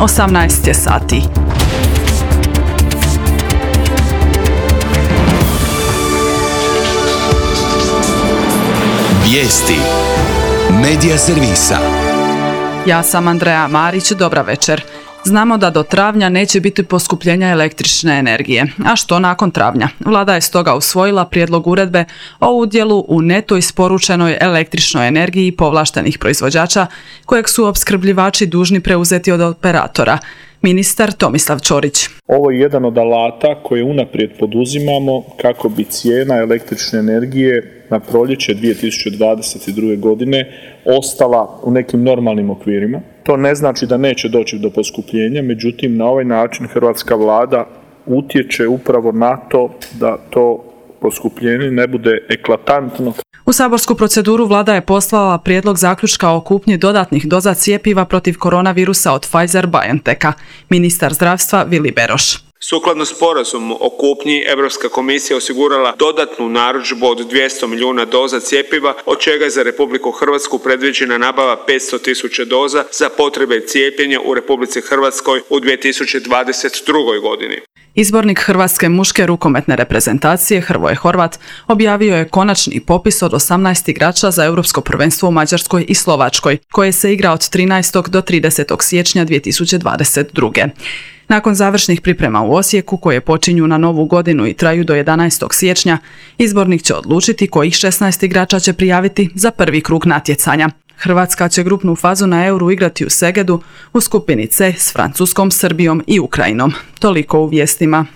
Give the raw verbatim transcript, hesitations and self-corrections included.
osamnaest je sati. Vijesti Medija servisa. Ja sam Andreja Marić, dobra večer. Znamo da do travnja neće biti poskupljenja električne energije. A što nakon travnja? Vlada je stoga usvojila prijedlog uredbe o udjelu u neto isporučenoj električnoj energiji povlaštenih proizvođača, kojeg su opskrbljivači dužni preuzeti od operatora. Ministar Tomislav Ćorić. Ovo je jedan od alata koje unaprijed poduzimamo kako bi cijena električne energije na proljeće dvije tisuće dvadeset druge. godine ostala u nekim normalnim okvirima. To ne znači da neće doći do poskupljenja, međutim na ovaj način hrvatska vlada utječe upravo na to da to poskupljenje ne bude eklatantno. U saborsku proceduru vlada je poslala prijedlog zaključka o kupnji dodatnih doza cjepiva protiv koronavirusa od Pfizer-BioNTecha. Ministar zdravstva Vili Beroš. Sukladno sporazumu o kupnji, Europska komisija osigurala dodatnu narudžbu od dvjesto milijuna doza cjepiva, od čega je za Republiku Hrvatsku predviđena nabava petsto tisuća doza za potrebe cijepljenja u Republici Hrvatskoj u dvije tisuće dvadeset drugoj. godini. Izbornik hrvatske muške rukometne reprezentacije Hrvoje Horvat objavio je konačni popis od osamnaest igrača za Europsko prvenstvo u Mađarskoj i Slovačkoj, koje se igra od trinaestog do tridesetog siječnja dvije tisuće dvadeset druge. Nakon završnih priprema u Osijeku, koje počinju na novu godinu i traju do jedanaestog siječnja, izbornik će odlučiti kojih šesnaest igrača će prijaviti za prvi krug natjecanja. Hrvatska će grupnu fazu na Euru igrati u Segedu u skupini C s Francuskom, Srbijom i Ukrajinom. Toliko u vijestima.